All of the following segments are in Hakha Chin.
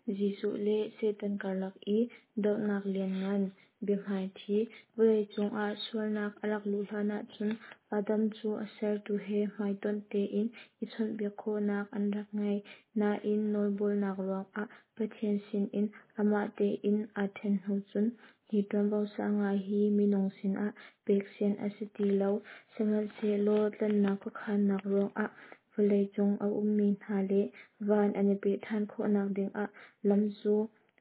Jesuh le Satan karlak i dohnak lianngan biahmaithi. Vawleicung ah sualnak a rak luh hlan ahcun Adam cu a sertu he hmaitonh tein i chawnhbiak khawhnak an rak ngei. Nain nawlbawlnak ruangah Pathian sinin amah tein aa ṭhen hnu cun hi ṭuanvo sang ngai hi minung sinah pek sian a si ti lo. Sihmanhsehlaw tlanhnak khuakhannak ruangah vawleicung a ummi hna le van an i peh ṭhan khawhnak dingah lam cu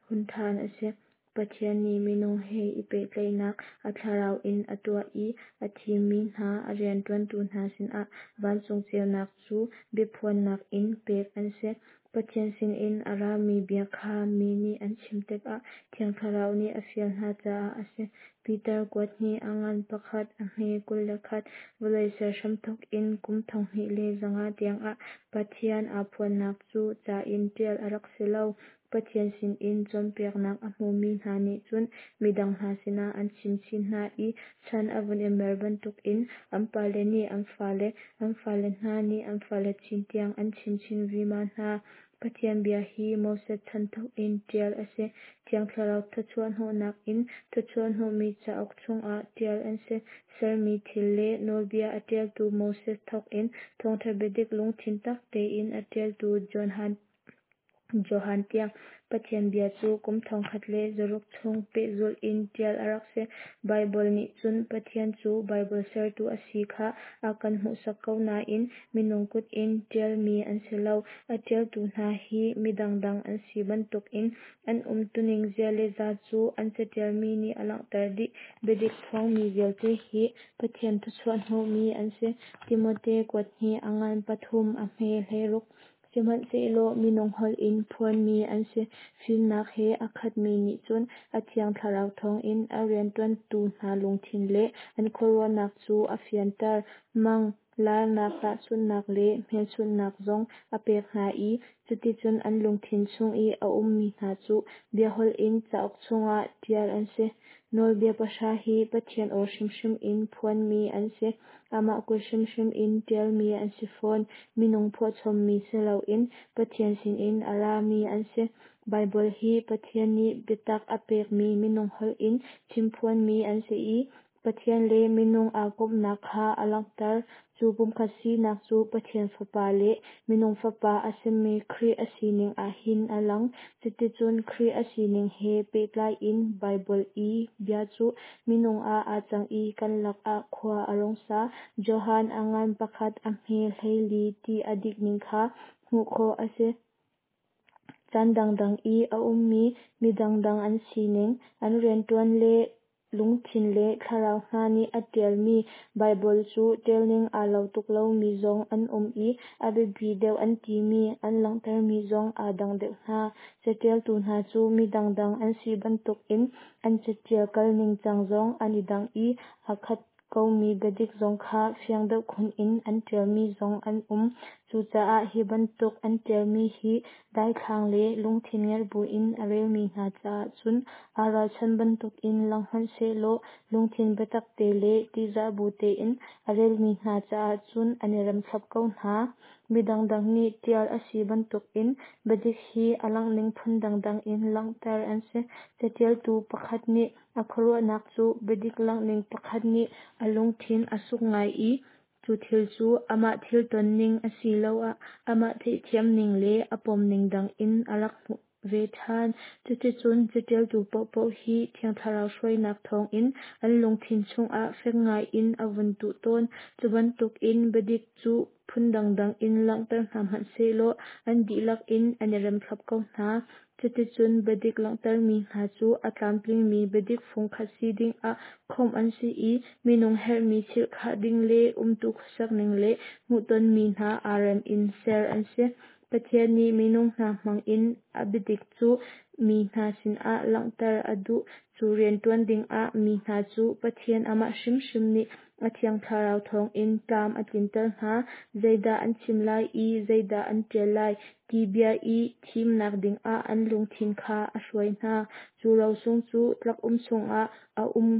hun ṭhan a si. Pathian nih minung he i pehtlaihnak a thlarau in a tuah i a thimmi hna a rianṭuantu hna sinah vancung ceunak cu biaphuannak in pek an si. Pathian sinin a rami bia kha mi nih an chim tikah Thiang Thlarau nih a fial hna caah a si. Peter kuat hnih a ngan pakhat a hme 21 Vawlei ser hramthawk in kum 2500 tiangah Pathian aa phuannak cu ca in ṭial a rak si lo. Pathian sinin cawnpiaknak a hmumi hna nih cun midang hna sinah an chim chin hna i chan a vun i mer bantukin an pale nih an fale, an fale hna nih an fale chin tiang an chim chin vima hna. Pathian bia hi Moses chan thawk in ṭial a si. Thiang Thlarau thawchuah hnawhnak in thawchuah hnawhmi cauk chungah ṭial an si. Sermi thil le nawlbia a ṭialtu Moses thawk in thawngṭha biadik lungthin tak tein a ṭialtu Johan tiang Pathian bia cu kum 1600 chung pehzulh in ṭial a rak si. Baibal nih cun Pathian cu Baibal sertu a si kha a kan hmuhsak ko nain minung kut in ṭialmi an si lo. A ṭialtu hna hi mi dangdang an si bantukin an umtuning zia le za cu an caṭialmi nih a langhter dih. Biadik phuangmi vialte hi Pathian thluachuah hnawhmi an si. Timote kuat hnih a ngan pathum a hme 16 Sihmanhsehlaw minung holh in phuanmi an si. Fimnak he a khatmi nih cun a Thiang Thlarau thawngin a rianṭuantu hna lungthin le an khuaruahnak cu a fianter. Mang, larnak, tahchunhnak le hmelchunhnak zong a pek hna i cuticun an lungthin chung i a ummi hna cu biaholh in cauk chungah ṭial an si. Nawlbia pahra hi Pathian aw hrimhrim in phuanmi an si. Amah kut hrimhrim in ṭialmi an si fawn. Minung phuahchommi si loin Pathian sinin a rami an si. Baibal hi Pathian nih biatak a pekmi minung holh in chimphuanmi an si i Pathian le minung aa komhnak kha a langhter. Cu pumkhat sinak cu Pathian Fapa le minung Fapa a simi Khrih a sining ah hin a lang. Cuticun Khrih a sining he pehtlai in Baibal i bia cu minung ah aa cang i kan lakah khua a rung sa. Johan a ngan pakhat a hme 14 ti a dik ning kha hmuh khawh a si. Caan dangdang i a ummi mi dangdang an sining, an rianṭuan le lungthin le thlarau hna nih a ṭialmi Baibal cu ṭialning aa lo tuk lomi zong an um i a biapi deuh an timi an langhtermi zong aa dang deuh hna. Caṭialtu hna cu mi dangdang an si bantukin an caṭial kal ningcang zong an i dang i aa khat komi biadik zong kha fiang deuh khun in an ṭialmi zong an um. Cucaah hi bantuk an ṭialmi hi daithlang le lungthin ngerh buin a relmi hna caah cun aa ralchan bantukin lang hmanhsehlaw lungthin biatak te le ṭihzah bu tein a relmi hna caah cun an i remthlap ko hna. Mi dangdang nih ṭial a si bantukin biadik hi a langhning phun dangdang in langhter an si. Caṭialtu pakhat nih A khuaruahnak cu biadik langhning pakhat nih a lungthin a suk ngai i cu thil cu amah thil tonning asiloah amah theihthiamning le a pomning dang in a rak hmuh ve ṭhan. Cuticun caṭialtu paohpaoh hi Thiang Thlarau hruainak thawngin an lungthin chungah fek ngaiin a vun tuh tawn. Cu bantukin biadik cu phun dangdang in langhter hna hmanh sehlaw an dihlak in an i remthlap ko hna. Cuticun biadik langhtermi hna cu a tlamtlingmi biadik fungkhat si dingah khawmh an si i minung herhmi chilhkhah ding le umtu khuasakning le hmuhtonmi hna aa rem in ser an si. Pathian nih minung hna hmangin a biadik cu mi hna sinah langhter a duh. Cu rianṭuan dingah mi hna cu Pathian amah hrimhrim nih a Thiang Thlarau thawngin tlam a tlinter hna. Zeidah an chim lai i zeidah an ṭial lai ti bia i thimnak dingah an lungthin kha a hruai hna. Cu rosung cu tlak-um chungah a um.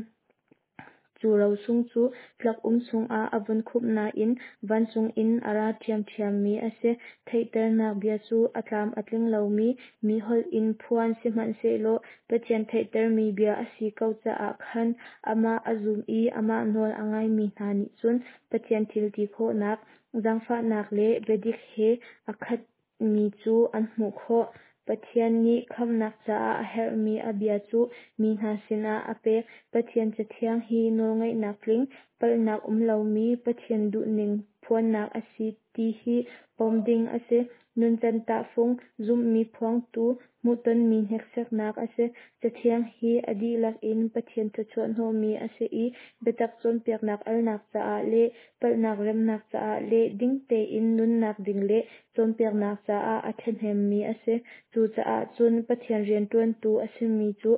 Cu rosung cu tlak-um chungah a vun khumh nain vancung in a ra ṭhiamṭhiammi a si. Theihternak bia cu a tlam a tling lomi mi holh in phuan sihmanhsehlaw Pathian theihtermi bia a si ko caah khan amah a zum i amah nawl a ngaimi hna nih cun Pathian thil ti khawhnak, zaangfahnak le biadik he a khatmi cu an hmuh khawh. Pathian nih khamhnak caah a herhmi a bia cu mi hna sinah a pek. Pathian Cathiang hi nawlngeihnak tling, palhnak um lomi Pathian duhning phuannak a si ti hi pom ding a si. Nuncan tahfung, zumhmi phuangtu, hmuhtonmi hneksaknak a si. Cathiang hi a dihlak in Pathian thawchuah hnawhmi a si i biatak cawnpiaknak alnak caah le palhnak remnak caah le ding tein nunnak ding le cawnpiaknak caah a ṭhahnemmi a si. Cucaah cun Pathian rianṭuantu a simi cu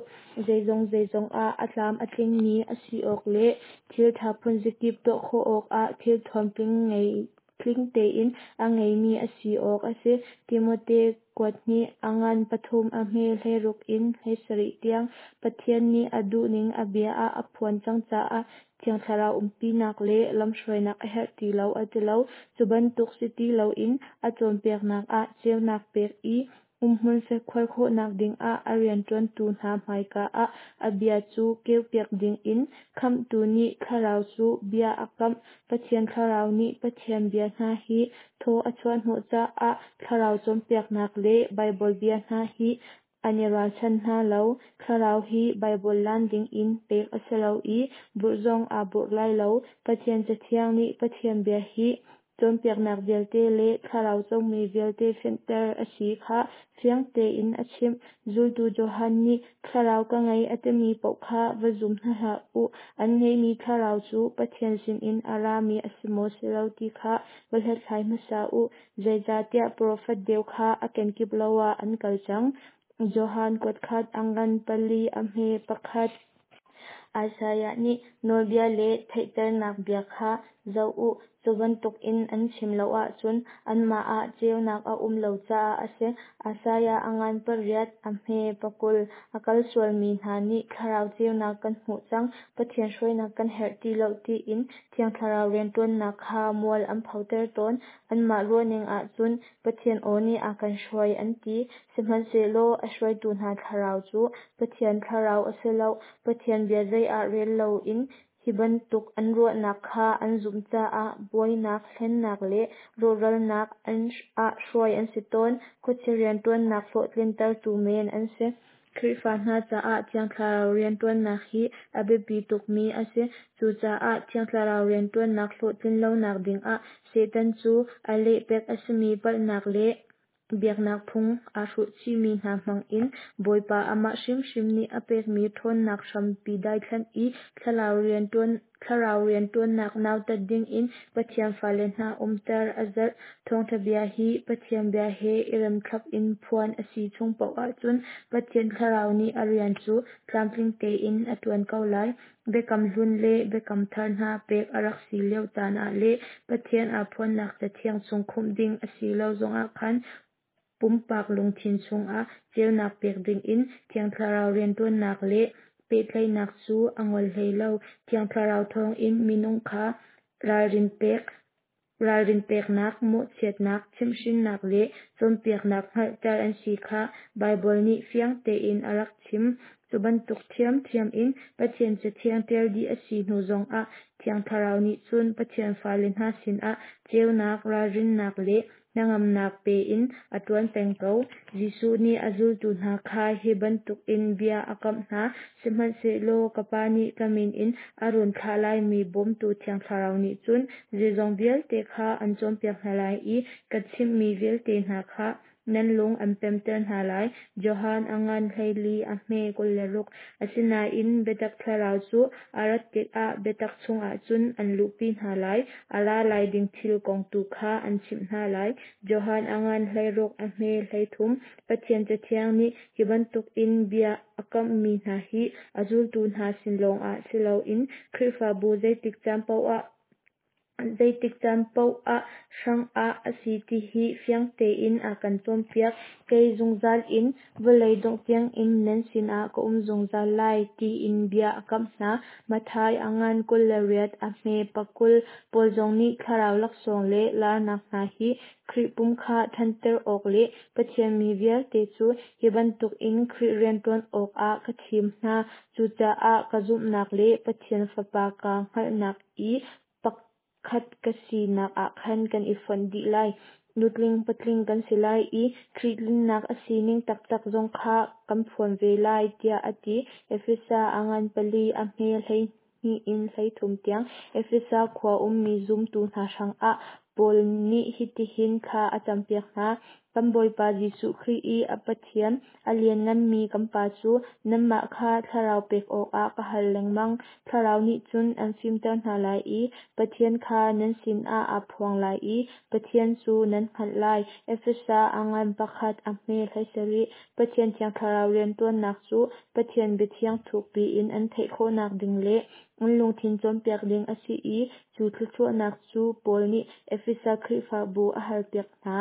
zeizong zeizong ah a tlam a tlingmi a si awk le thil ṭha phunzakip tuah khawh awkah thilthuam tling tein a ngeimi a si awk a si. Timote kuat hnih, a ngan pathum, a hme 16 in 17 tiang. Pathian nih a duhning a bia ah a phuan cang caah Thiang Thlarau umpinak le lamhruainak a herh ti lo a ti lo. Cu bantuk si ti loin a cawnpiaknak ah ceunak pek i umhmun fekhuar khawhnak dingah a rianṭuantu hna hmaika ah a bia cu keupiak dingin Khamhtu nih Thlarau cu bia a kamh. Pathian Thlarau nih Pathian bia hna hi thaw a chuahhnawh caah Thlarau cawnpiaknak le Baibal bia hna hi an i ralchan hna lo. Thlarau hi Baibal lan dingin pek a si lo i burh zong aa burh lai lo. Pathian Cathiang nih Pathian bia hi cawnpiaknak vialte le thlarau comi vialte fenhter a si kha fiang tein a chimh. Zultu Johan nih thlarau ka ngei a timi paoh kha va zum hna hlah u. An ngeihmi thlarau cu Pathian sinin a rami a si maw si lo ti kha va hlathlai hmasa u. Zeicahtiah profet deu kha a kenkip lo ah an kal cang. Johan kuatkhat a ngan pali a hme pakhat. Isaiah nih nawlbia le theihternak bia kha zoh u, cu bantukin an chim lo ahcun anmah ah ceunak a um lo caah a si. Isaiah a ngan pariat, a hme pakul. A kal sualmi hna nih thlarau ceunak kan hmuh cang, Pathian hruainak kan herh ti lo tiin Thiang Thlarau rianṭuannak kha mual an photer tawn. Anmah ruahning ahcun Pathian aw nih a kan hruai an ti. Sihmanhsehlaw a hruaitu hna thlarau cu Pathian thlarau a si lo. Pathian bia zei ah rel loin hi bantuk an ruahnak kha an zumh caah buainak, hlennak le rawhralnak ah hruai an si tawn. Khuachia rianṭuannak hlawhtlintertu men an si. Khrihfa hna caah Thiang Thlarau rianṭuannak hi a biapi tukmi a si. Cucaah Thiang Thlarau rianṭuannak hlawhtlin lonak dingah Satan cu a lehpek a simi palhnak le biaknak phung aa hruhchihmi hna hmangin Bawipa amah hrimhrim nih a pekmi ṭhawnnak hrampi daithlanh i thlarau rianṭuannak nautat dingin Pathian fale hna umter a zalh. Thawngṭha bia hi Pathian bia he i remthlap in phuan a si chung paoh ahcun Pathian Thlarau nih a rian cu tlamtling tein a ṭuan ko lai. Biakam Hlun le Biakam Thar hna pek a rak si lio caan ah le Pathian aa phuannak Cathiang chung khumh ding a si lo zongah khan pumpak lungthin chungah ceunak pek dingin Thiang Thlarau rianṭuannak le pehtlaihnak cu a ngol hlei lo. Thiang Thlarau thawngin minung kha ralrin pek Ralrin peknak, mawhchiatnak, chimhhrinnak le cawnpiaknak hngalhter an si kha Baibal nih fiang tein a rak chim. Cu bantuk ṭhiamṭhiam in Pathian Cathiang ṭial dih a si hnu zongah Thiang Thlarau nih cun Pathian fale hna sinah ceunak, ralrinnak le hnangamnak pe in a ṭuan peng ko. Jesuh nih a zultu hna kha hi bantukin bia a kamh hna, Sihmanhsehlaw ka Pa nih ka min in a run thlah laimi Bawmtu Thiang Thlarau nih cun zeizong vialte kha an cawnpiak hna lai i ka chimhmi vialte hna kha nan lung an pemter hna lai. Johan a ngan 14, a hme 26. Asinain biatak thlarau cu a rat tikah biatak chungah cun an luhpi hna lai, a ra lai ding thil kong tu kha an chimh hna lai. Johan a ngan 16, a hme 33. Pathian Cathiang nih hi bantukin bia a kamhmi hna hi a zultu hna sin lawngah si loin Khrihfabu zeitik caan paoh ah Zeitik caan paoh ah hrangah a si ti hi fiang tein a kan cawnpiak. Kei zungzal in vawlei dongh tiangin nan sinah ka um zungzal lai, tiin bia a kamh hna. Matthai a ngan 28 a hme 20. Paul zong nih thlarau laksawng le larnak hna hi Khrih pum kha ṭhanter awk le Pathian mi vialte cu hi bantukin Khrih rianṭuan awkah ka thim hna. Cucaah ka zumhnak le Pathian Fapa kaa hngalhnak i pakhat ka sinak ah khan kan i fonh dih lai. Nutling patling kan si lai i Khrih tlinnak a sining taktak zong kha kan phuan ve lai, tiah a ti. Efesa a ngan pali a hme 12 in 13 tiang. Efesa khua ummi zumtu hna hrangah Paul nih hitihin thla a campiak hna. Kan Bawipa Jesuh Khrih i a Pathian, a liannganmi kan Pa cu nanmah kha thlarau pek awkah ka hal lengmang. Thlarau nih cun an fimter hna lai i Pathian kha nan sinah aa phuang lai i Pathian cu nan hngalh lai. Efesa a ngan pakhat a hme 17. Pathian Thiang Thlarau rianṭuannak cu Pathian biathiang thukpi in an theih khawhnak ding le an lungthin cawnpiak ding a si i cu thluachuahnak cu Paul nih Efesa Khrihfabu a halpiak hna.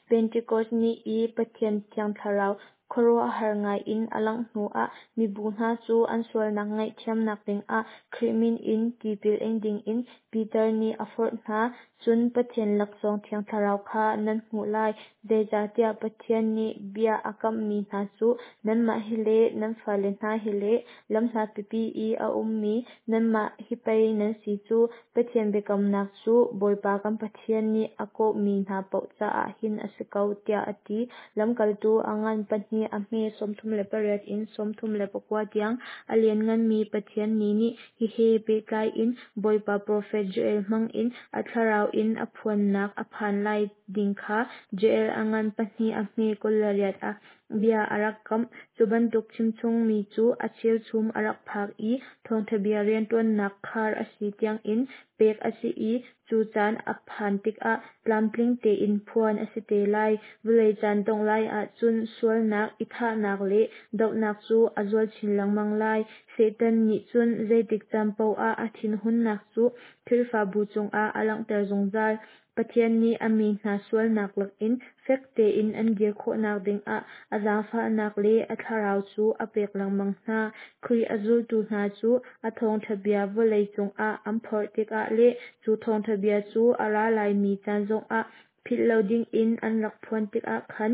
Pentekos ni i Pathian Thiang Thlarau khuaruahhar ngaiin a langh hnuah mibu hna cu an sualnak ngaihthiamnak dingah Khrih min in tipil ing dingin Peter nih a forh hna. Cun Pathian laksawng Thiang Thlarau kha nan hmuh lai, zeicahtiah Pathian nih bia a kamhmi hna cu nanmah hi le nan fale hna hi le lamhlat pipi i a ummi nanmah hi pei nan si cu. Pathian biakamnak cu Bawipa kan Pathian nih a kawhmi hna paoh caah hin a si ko, tiah a ti. Lamkaltu a ngan pahnih a hme 38 in 39 tiang. A liannganmi Pathian ni nih hihe pehtlai in Bawipa profet Joel hmangin a thlarau in a phuannak a phan lai ding kha Joel a ngan pahnih a hme 28 ah bia a rak kamh. Cu bantuk chimchungmi cu a cheuchum a rak phak i thawngṭha bia rianṭuannak khar a si tiangin pek a si i cu caan a phan tikah tlamtling tein phuan a si te lai. Vawlei caan dongh lai ahcun sualnak, i thahnak le dohnak cu a zual chin lengmang lai. Satan nih cun zeitik caan paoh ah a thinhunnak cu Khrihfabu cungah a langhter zungzal. Pathian nih a mi hna sualnak lakin fek tein an dir khawhnak dingah a zaangfahnak le a thlarau cu a pek lengmang hna. Khrih a zultu hna cu a thawngṭha bia vawlei cungah an phorh tikah le cu thawngṭha bia cu a ra laimi caan zongah philh lo dingin an rak phuan tikah khan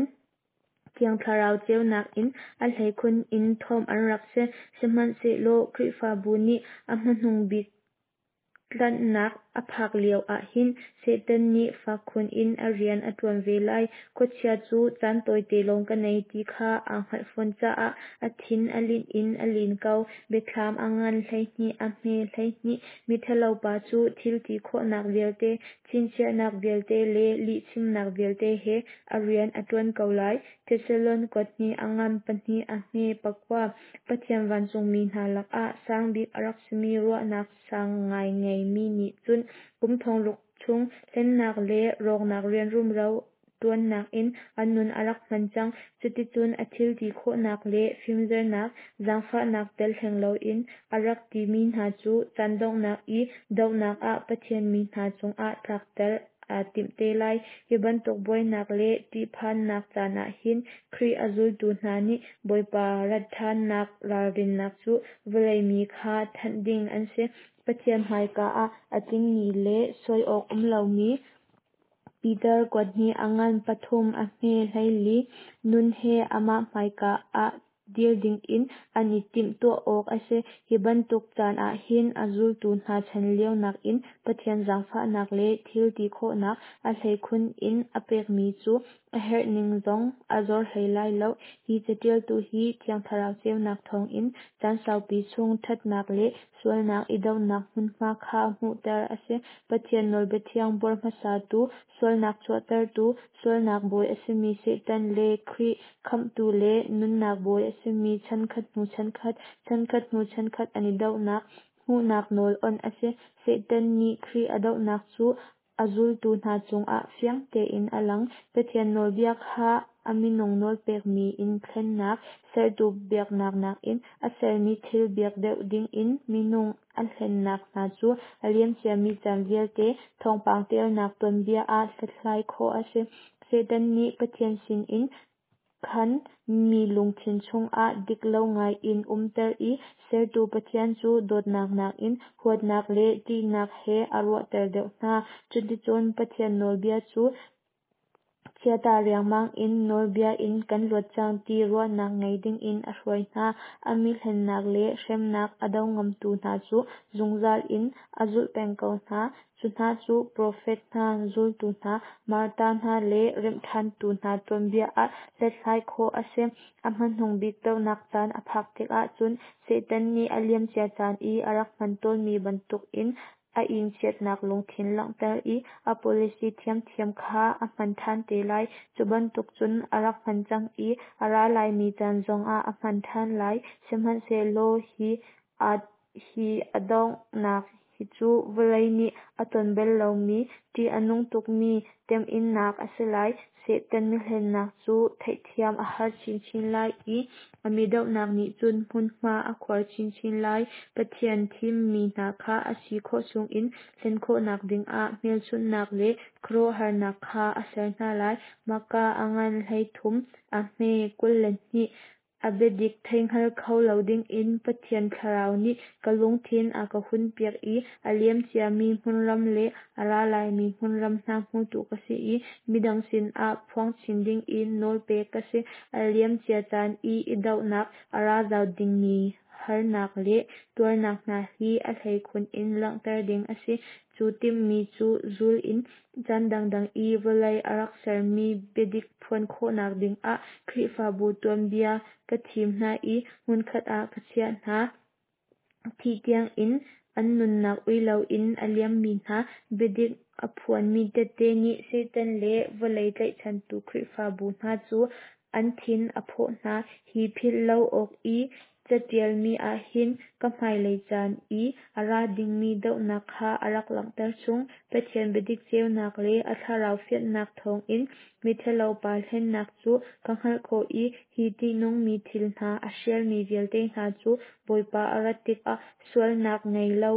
Thiang Thlarau ceunak in a hleikhun in thuamh an rak si. Sihmanhsehlaw Khrihfabu nih a hmanung bik tlanhnak a phak lio ah hin Satan nih fak khun in a rian a ṭuan ve lai. Khuachia cu caan tawite lawng ka nei ti kha aa hngalh fawn caah a thin a linh in a lin ko. Biathlam a ngan 12 a hme 12. Miṭhalopa cu thil ti khawhnak vialte, chinchiahnak vialte le lihchimnak vialte he a rian a ṭuan ko lai. Thesalon kuathnih a ngan pahnih a hme pakua. Pathian vancungmi hna lakah sang bik a rak simi ruahnak sang ngai ngeimi nih cun kum thongruk chung hlennak le rawknak rian rumro ṭuannak in a nun a rak hman cang. Cuticun a thil ti khawhnak le fimzernak, zaangfahnak tel hleng loin a rak timi hna cu caan donghnak i dohnak ah Pathian mi hna cungah tlakter aa timh te lai. Hi bantuk buainak le ṭihphannak caan ah hin Khrih a zultu hna nih Bawipa rat ṭhannak ralrinnak cu vawlei mi kha thanh ding an si. Pathian hmaika ah a tlingmi le sawi awk um lomi Peter kuathnih a ngan pathum a hme 14 nun he amah hmaika ah dir dingin an i timhtuah awk a si. Hi bantuk caan ah hin a zultu hna chan lio nakin Pathian zaangfahnak le thil ti khawhnak a hleikhun in a pekmi cu a herhning zong a zor hlei lai lo. Hi caṭialtu hi Thiang Thlarau ceunak thawngin caan saupi chung ṭhatnak le sualnak i dohnak hmunhma kha hmuhter a si. Pathian nawlbia thiang buar hmasatu, sualnak chuahtertu, sualnak bawi a simi Satan le Khrih khamhtu le nunnak bawi a simi chankhat hnu chankhat, chankhat hnu chankhat an i dohnak hmuhnak nawl awnh a si. Satan nih Khrih a dohnak cu a zultu hna cungah fiang tein a lang. Pathian nawlbia kha a minung nawlpekmi in thlennak, sertu biaknak nakin a sermi thil biak deuh dingin minung a hlennak hna cu a liamciami caan vialte thawngpang tialnak tuanbia ah hlathlai khawh a si. Satan nih Pathian sinin khan mi lungthin chungah dik lo ngai in umter i sertu Pathian cu dawtnak nakin huatnak le ṭihnak he a ruahter deuh hna. Cuticun Pathian nawlbia cu chiata riangmang in nawlbia in kan luat cang ti ruahnak ngei dingin a hruai hna. A mi hlennak le hremnak a do ngamtu hna cu zungzal in a zulh peng ko hna. Cu hna cu profet hna, zultu hna, martar hna le remhṭhantu hna tuanbia ah hlathlai khawh a si. A hmanung bik dohnak caan a phak tikah cun Satan nih a liamcia caan i a rak hman tawnmi bantukin a ingchiatnak lungthin langhter i a policy thiamthiam kha a hman ṭhan te lai. Cu bantuk cun a rak hman cang i a ra laimi caan zongah a hman ṭhan lai. Sihmanhsehlaw hi a donghnak hi cu vawlei nih a ton bal lomi ṭih a nung tukmi temhinnak a si lai. Satan mihlennak cu theihthiam a har chinchin lai i a mi dohnak nih cun hmunhma a khuar chinchin lai. Pathian thimmi hna kha a si khawh chungin hlen khawhnak dingah hmelchunhnak le khuaruahharnak kha a ser hna lai. Mahka a ngan 13, a hme 22. A biadik theihngal kho lo dingin Pathian Thlarau nih ka lungthin a ka hunpiak i a liam ciami hmunram le a ra laimi hmunram hna hmutu ka si i midang sinah phuang chin dingin nawl pek ka si. A liam cia caan i i dohnak, a ra zau dingmi harnak le tuarnak hna hi a hleikhun in langhter ding a si. Cu timhmi cu zul in caan dangdang i vawlei a rak sermi biadik phuan khawhnak dingah Khrihfabu tuanbia ka thim hna i hmunkhat ah ka chiah hna. Thih tiangin an nunnak ui loin a liammi hna biadik a phuanmi tehte nih Satan le vawlei tlaihchantu Khrihfabu hna cu an thin a phawh hna. Hi philh lo awk i catialmi ahhin ka hmailei caan i a ra dingmi dohnak kha a rak langhter chung. Pathian biadik ceunak le a thlarau fianhnak thawngin miṭhalo pa hlennak cu ka hngalh khawh i hi ṭihnungmi thil hna a hrialmi vialte hna cu Bawipa a rat tikah sualnak ngei lo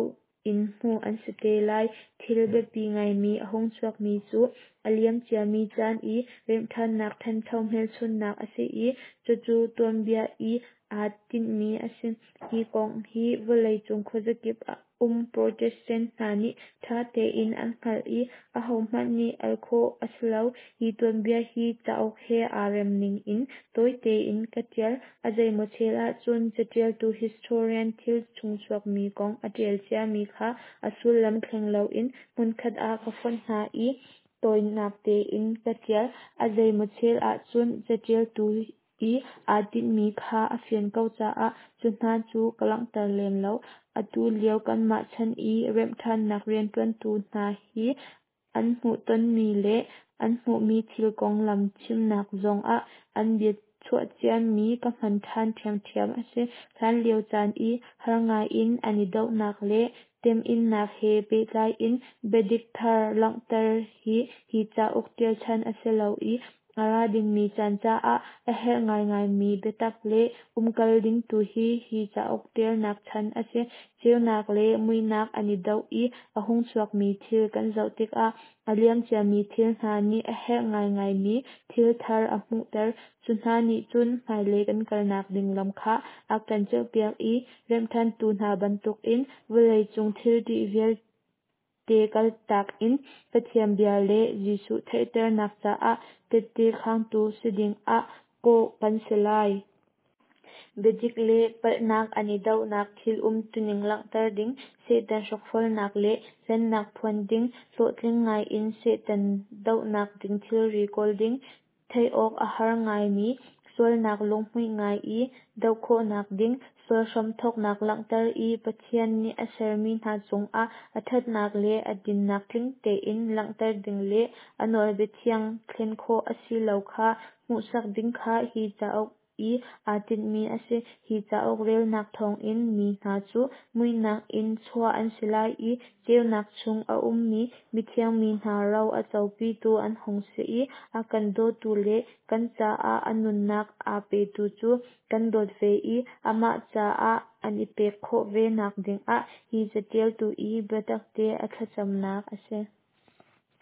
in hmuh an si te lai. Thil biapi ngaimi a hung chuakmi cu a liam ciami caan i remhṭhannak ṭhancho hmelchunhnak a si i cucu tuanbia i aa tinhmi a si. Hi kong hi vawleicung khuazakip um Protestant hna nih ṭha tein an hngalh i ahohmanh nih al khawh a si lo. Hi tuanbia hi cauk he aa rem ning in tawi tein ka ṭial. A zeimaw chel ahcun caṭialtu historian thil chungchuakmi kong a ṭial ciami kha a sullam thleng loin hmunkhat ah ka fonh hna i tawinak tein ka ṭial. A zeimaw chel ahcun caṭialtu i aa tinhmi kha a fian ko caah cu hna cu ka langhter lem lo. Atu lio kanmah chan i remhṭhannak rianṭuantu hna hi an hmuhtonmi le an hmuhmi thil konglam chimnak zongah an bia chuahciami ka hman ṭhan ṭhiamṭhiam a si. Hlanlio caan i har ngaiin an i dohnak le temhinnak he pehtlai in biadik thar langhter hi hi cauk ṭial chan a si lo i a ra dingmi caan caah a herh ngaingaimi biatak le umkal ding tu hi hi cauk ṭialnak chan a si. Ceunak le muihnak an i doh i a hung chuakmi thil kan zoh tikah a liam ciami thil hna nih a herh ngaingaimi thil thar a hmuhter. Cu hna nih cun hmailei kan kalnak ding lam kha a kan ceuhpiak i remhṭhantu hna bantukin vawleicung thil ṭih vialte kaltak in Pathian bia le Jesuh theihternak caah tehte khangtu si dingah kawh kan si lai. Biadik le palhnak an i dohnak thil umtuning langhter ding, Satan hrokhrolnak le hlennak phuan ding, hlawhtling ngaiin Satan dohnak ding thilri kawl ding, theih awk a har ngaimi sualnak lunghmuih ngai i doh khawhnak ding, sual hramthawknak langhter i Pathian nih a sermi hna cungah a ṭhatnak le a dinnak tling tein langhter ding le a nawlbia thiang thlen khawh a si lo kha hmuhsak ding kha hi cauk I aa tinhmi a si. Hi cauk relnak thawngin mi hna cu muihnak in chuah an si lai I ceunak chung a ummi mithiang mi hna ro a copitu an hung si I a kan dawtu le kan caah a nunnak aa petu cu kan dawt ve I amah caah an I pek khawh ve nak dingah hi catialtu I biatakte a thlacamnak a si.